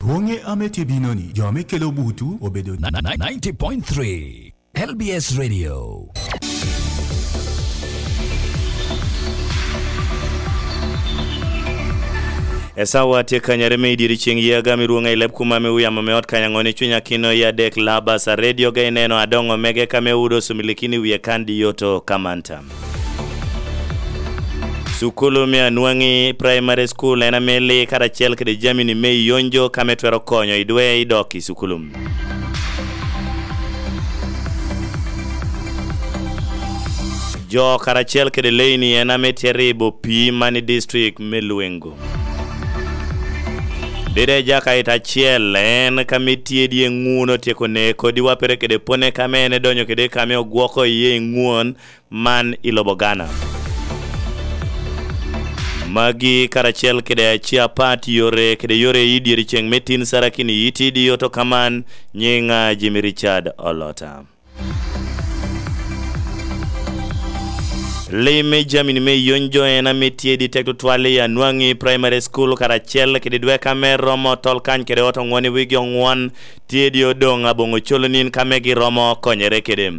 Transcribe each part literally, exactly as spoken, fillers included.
Boŋe ame tye bino-ni, jo ame kelo butu obedo ninety point three L B S Radio. Esawa tye kanyare me i dyere ceŋ ye agam i rwoŋa i leb kuma me wiyamo me ot kanyaŋo ni cuny akino i adek labas a redio ga ineno adoŋo mege ka me wudo sumilikini wie kan di yoto kamanta. Sukulu me Anwaŋi Primary School en ame li karacel kede jamini me yonjo ka me twero konyo i dwe i dok i sukulu. Jo karacel kede leini en ame tye ribo pii man i district me Lwengo. Dede Jakait acel en ka me tye dye ŋun otyeko ne kodi wapere kede pone ka me en edonyo kede ka me ogwoko iye i ŋun man i lobo Ghana. Magi karacel kede aci apat yore kede yore i dyere ceŋ me tin sarakini iti di oto kaman nyiŋa Jimmy Richard Olota. Lim me jamini me yony jo en ame tye di tek tutwal i Anwaŋi Primary School karacel kede dweka me romo tol kany kede oto ŋwon i wigi oŋwon tye di odoŋ aboŋo colo nin ka me giromo konyere kede.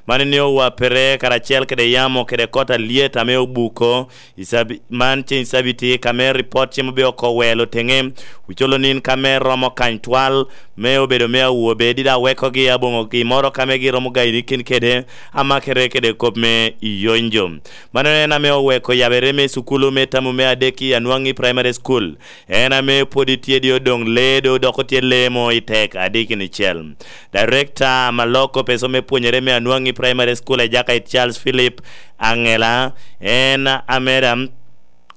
Man ni owapere karacel kede yamo kede kot alyet ame obuko i sabi-, man ceŋ cabiti ka me ripot cimo be oko welo teŋe, ocolo nin ka me romo kany twal me obedo me awobe dida wekogi aboŋo gi moro ka me giromo gaini kin kede amakere kede kop me iyonjo. Mano en ame oweko yabere me sukulu me tamu me adek i Anwaŋi Primary School. En ame pwod itye di odoŋ ledo dok otye lemo i tek adikini cel. Director Maloko Peso me pwonyere me Anwaŋi Primary School Ejakait Charles Philip Angela, en ameda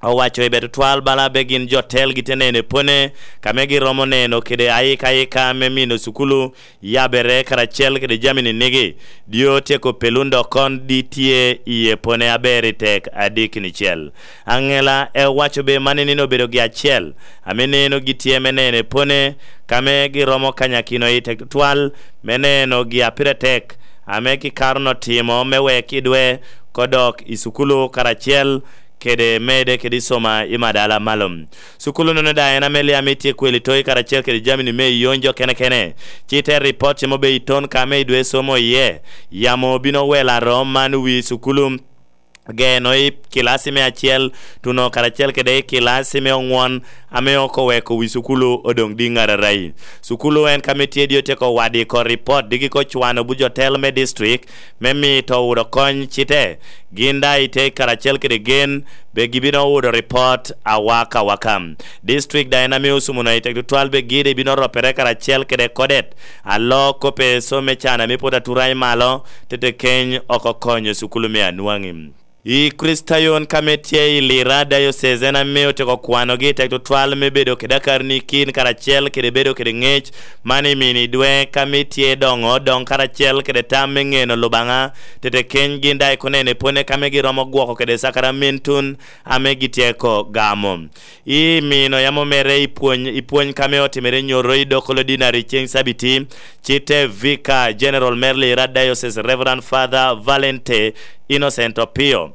owaco i bedo twal bala be gin jo telgi te neno epone, ka me giromo neno kede ayika ayika me mino sukulu yabere karacel kede jamini nigi, dio tyeko pelun dok kon di tye i epone aber i tek adikini cel. Angela e owaco be man nino obedo gi acel, ame neno gitye me neno epone, ka me giromo kanyakino i tek tutwal, me neno gi apire tek, ame kikaro no timo me wek idwe kodok i sukulu karacel kede mede kede i soma i madala malo. Sukulu nono da en ame liam itye kweli toyi karacel kede jamini me iyonjo kene kene. Ci te ripot cimo be iton ka me idwe somo iye. Yamo bino welo arom man wi sukulu geno i kilasi me acel, tuno karacel kede i kilasi me oŋwon, ame oko weko wi sukulu odoŋ di ŋararayi. Sukulu en ka me tye di otyeko wadi ko ripot, digi ko cwano buc otel me district, me mito wudo kony cite. Gin da ite karacel kede gen, be gibino wudo ripot awaka awaka. District da en ame osumo na i tek tutwal be gide bino ropere karacel kede kodet. Alok kope so me can ame pwod atura i malo, tete keny oko konyo sukulu me Anwaŋi. I Kricitayon ka me tye i Lira Diocese en ame otyeko kwanogi i tek tutwal me bedo kede akarni kin karacel kede bedo kede ŋec, man i mini dwe ka me tye doŋo doŋ karacel kede tam me ŋeno Lubaŋa, tete keny gin daŋ ikonene pwone ka me giromo gwoko kede sakramentun ame gityeko gamo. I mino yam omere i pwony, i pwony ka me otimere nyoro i Dokolo Dinari ceŋ Cabiti, ci te Vicar General me Lira Diocese Reverend Father Valente Innocent Opio,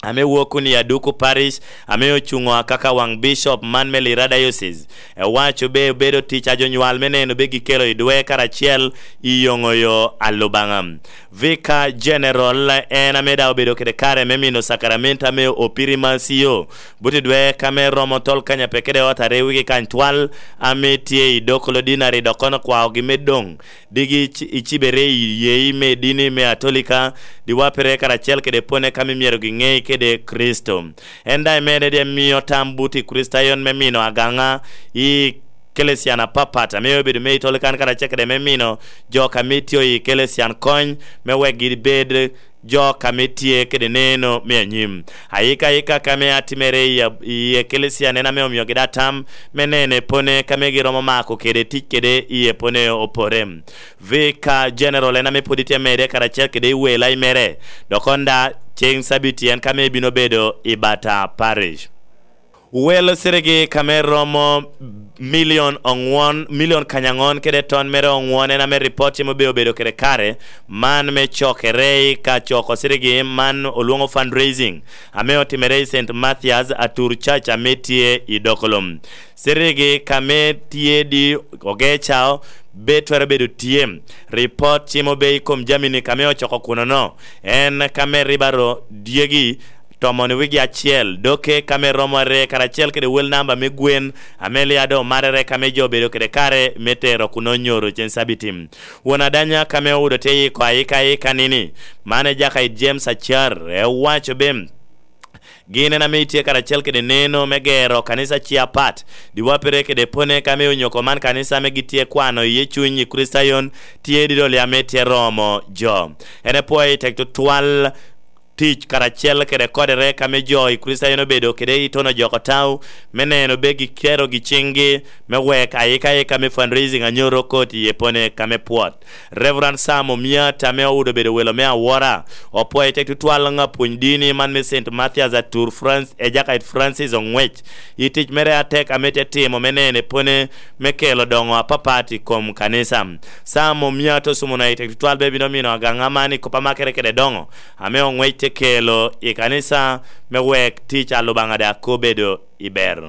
ame wok kun i Aduku Parish, ame ocuŋo akaka waŋ Bishop man me Lira Diocese, ewaco be obedo tic a jo nywal me neno be gikelo i dwe karacel i yoŋo yo a Lubaŋa. Vicar General en ame daŋ obedo kede kare me mino sakaramento ame opirimacio, but i dwe ka me romo tol kanya pe kede ot are wigi kany twal ame tye i Dokolo Dinari dok kono kwaogi me doŋ digi ici-, icibere i yeyi me dini me Atolika, diwapere karacel kede pwone ka me myero giŋei kede Kricito. En daŋ emede de mio tam but i Kricitayon me mino agaŋa i Kelesian apapat, ame obedo me Itolikan karacel kede me mino jo ka mitio i Kelesian kony, me wek gibed jo ka me tye kede neno me anyim. Ayika ayika ka me atimere i ab-, i Ekelesian en ame omiogi da tam me nene pone ka me giromo mako kede tic kede i epone opore. Vicar General en ame pwod itye mede karacel kede i wela i mere, dok onda ceŋ Sabiti en ka me bino bedo i Bata Parish. Wel sirigi kame romo milion oŋwon, milion kanyaŋon kede ton mere oŋwon en ame ripot cimo be obedo kede kare man me cokere i ka coko sirigi man olwoŋo fundraising ame otimere i Saint Mathias Atur Church ame tye i Dokolom. Sirigi kame tye di ogecao be twero bedo tye. Ripot cimo be i kom jamini kame ocoko kuno-no en kame ribaro dyegi tomon wigi acel, doke kame romo are karacel kede wel namba me gwen, ame lia doŋ marere kame jo obedo kede kare me tero kun onyoro cen cabiti. Won adanya kame owudo te yiko ayika ayika nini, man e jaka i James Acar, ewaco be gin en ame itye karacel kede neno me gero kanisa ci apat, diwapere kede pone kame onyoko man kanisa ame gitye kwano iye cuny i Kristayon, tye didoli ame tye romo jo. En epwoyo i tek tutwal tic karacel kede kodere kame jo i Kricitayo en obedo kede i tono joko tau me neno be gikero gi ciŋgi me wek ayika ayika me fundraising anyoro kot i epone kame pwot. Reverend Sam Omiat ame owudo bedo welo me awora, opwoyo tek tutwal ŋa pwony dini man me Saint Mathias Atur France, Ejakait Francis Oŋwec, i tic mere atek ame te timo me neno epone me kelo doŋo apapat i kom kanisa. Sam Omiat osumo na i tek tutwal be bino mino agaŋa man i kop amakere kede doŋo ame Oŋwec te kelo i kanisa me wek tic a Lubaŋa daŋ obedo i ber.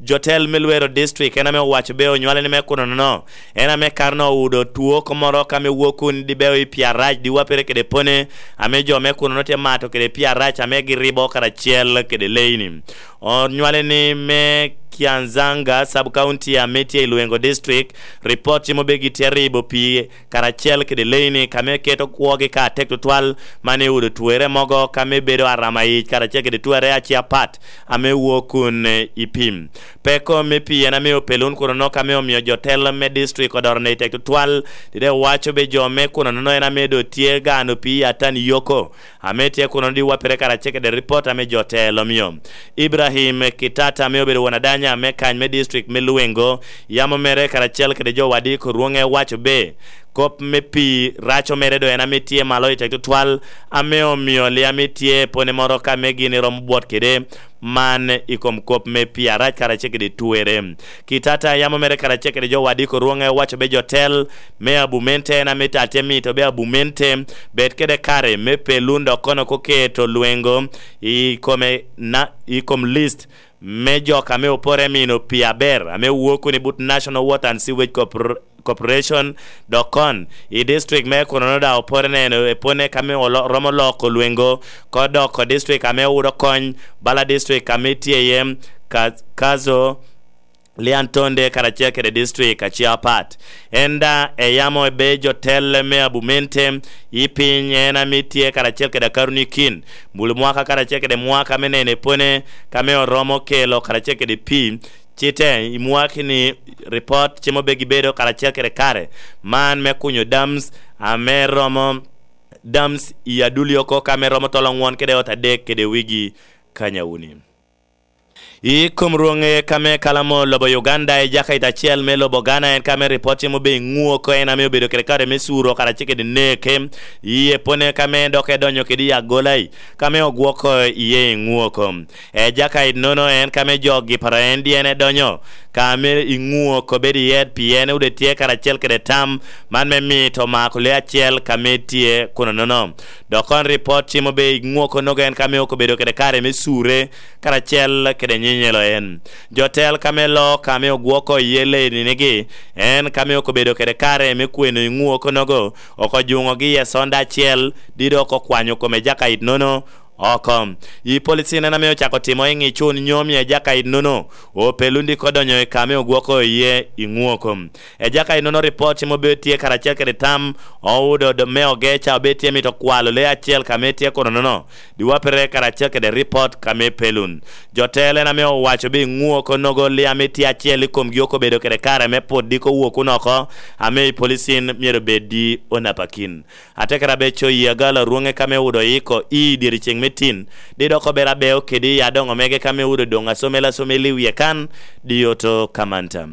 Jotel me Lwero District en ame owaco be onywale ni me kuno nono, en ame karno owudo two oko moro ka me wok kun di beo i Pyarac di wapere kede pone, ame jo me kuno no te mato kede Pyarac ame giribo karacel kede leini. Onywale ni me Kianzanga Sub County ame tye i Lwengo District, ripot cimo be gitye ribo pi karacel kede leini kame keto kwogi ka atek tutwal, man i udo twere mogo kame bedo arama yic karacel kede twere aci apat ame wok kun i pim. Peko me pii en ame opelun kuno nok ame omio jo telo me district odoro ne i tek tutwal, dide waco be jo me kuno nono en ame do tye gano pii atan yoko ame tye kuno di wapere karacel kede ripot ame jo telo mio. Ibrahim Kitata ame obedo won adanya me kany me district me Lwengo, yamo mere karacel kede jo wadi korwonge waco be kop me pii raco mere do en ame tye malo i tek tutwal, ame omio liam itye pone moro ka me gin iromo bwot kede man i kom kop me pii arac karacel kede twere. Kitata yamo mere karacel kede jo wadi korwonge waco be jo tel me abumente en ame ta tye mito be abumente bed kede kare me pelun dok kono koketo Lwengo i kome na, i kom list me jok ame opore mino pii aber ame wuok kun i but National Water and Sewage Corpor-, Corporation, dok kon i district me Kunono daŋ opore neno epone kame olo-, romo loko Lwengo ko doko district ame owudo kony bala district ame tye iye Ka-, Kazo, Liantonde karacel kede district ace apat. En daŋ eyamo ebe jo telle me abumente i piny en ame tye karacel kede akaruni kin bulu mwaka karacel kede mwaka me nene pone kame oromo kelo karacel kede pii. Cite i mwaki ni ripot cimo be gibedo karacel kede kare man me kunyo dams ame romo dams i aduli oko kame romo tolo ngwon kede ot adek kede wigi kanyawuni. I kom rwoŋe kame kalamo lobo Uganda i jakait acel me lobo Ghana en kame ripot cimo be iŋu oko en ame obedo kede kare me curo karacel kede neke. Iye pone kame dok edonyo kede i agolai kame ogwoko iye iŋu oko. E jakait nono en kame jo gipara en dyene donyo kame iŋu oko bedo iye pien ude tye karacel kede tam man me mito mako le acel kame tye kuno nono. Dok kon ripot cimo be iŋu oko nogo en kame oko bedo kede kare me cure karacel kede nyinyelo en. Jo tel kame lo kame ogwoko iye leninigi, en kame oko bedo kede kare me kweno iŋu oko nogo, oko juŋogi i esonda acel, dido oko kwanyo kome jakait nono oko. I policin en ame ocako timo i ŋicun nyo mie jakait nono, opelun diko donyo i kame ogwoko iye iŋu oko. Ejaka inono ripot cimo be tye karacel kede tam, oudo do-, me ogeca obe tye mito kwalo lee acel ka me tye kono nono, diwapere karacel kede ripot ka me pelun. Jo telo en ame owaco bi ŋuo konogo lee ame tye acel i komgi oko bedo kede kare me put diko wokun oko, ame i policin myero bed di onapakin. Ate kara be coyi agalo rwoŋe ka me udo iko i dyeri ceŋ me tin, di dok ober abeo kede i adoŋo mege ka me udo doŋ asomel asomel i wie kan, di oto kamanta.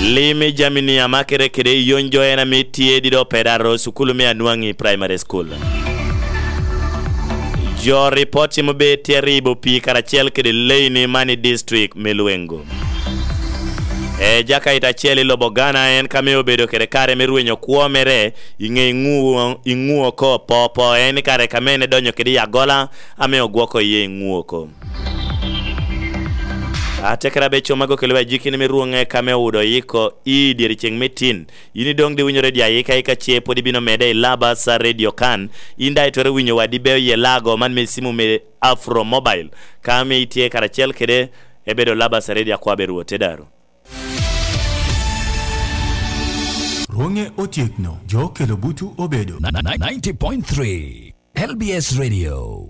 Lim i jami-ni amakere kede i yony jo en ame tye dido peda aro sukulu me Anwangi Primary School. Jo ripot cimo be tye ribo pii karacel kede leini man i district me Lwengo. E jakaita acel i lobo Ghana en ka me obedo kede kare me rwenyo kwo mere i ŋe iŋuo, iŋuo ko popo en i kare ka mene donyo kede i agola ame ogwoko iye iŋuo ko. Atekere abe coma go kelo ajikini me rwoŋe ka me odo yiko i dyere ceŋ me tin. Yin idoŋ di winyo redio ayika ika ce pwod ibino mede i laba sa redio kan. In daŋ itwero winyo wadi beo ye lago man me simu me Afro Mobile. Ka ame itye karacel kede, ebedo laba sa redio akwa be rwote daru. Rwoŋe otyekno, jo kelo butu obedo. Ninety point three L B S Radio.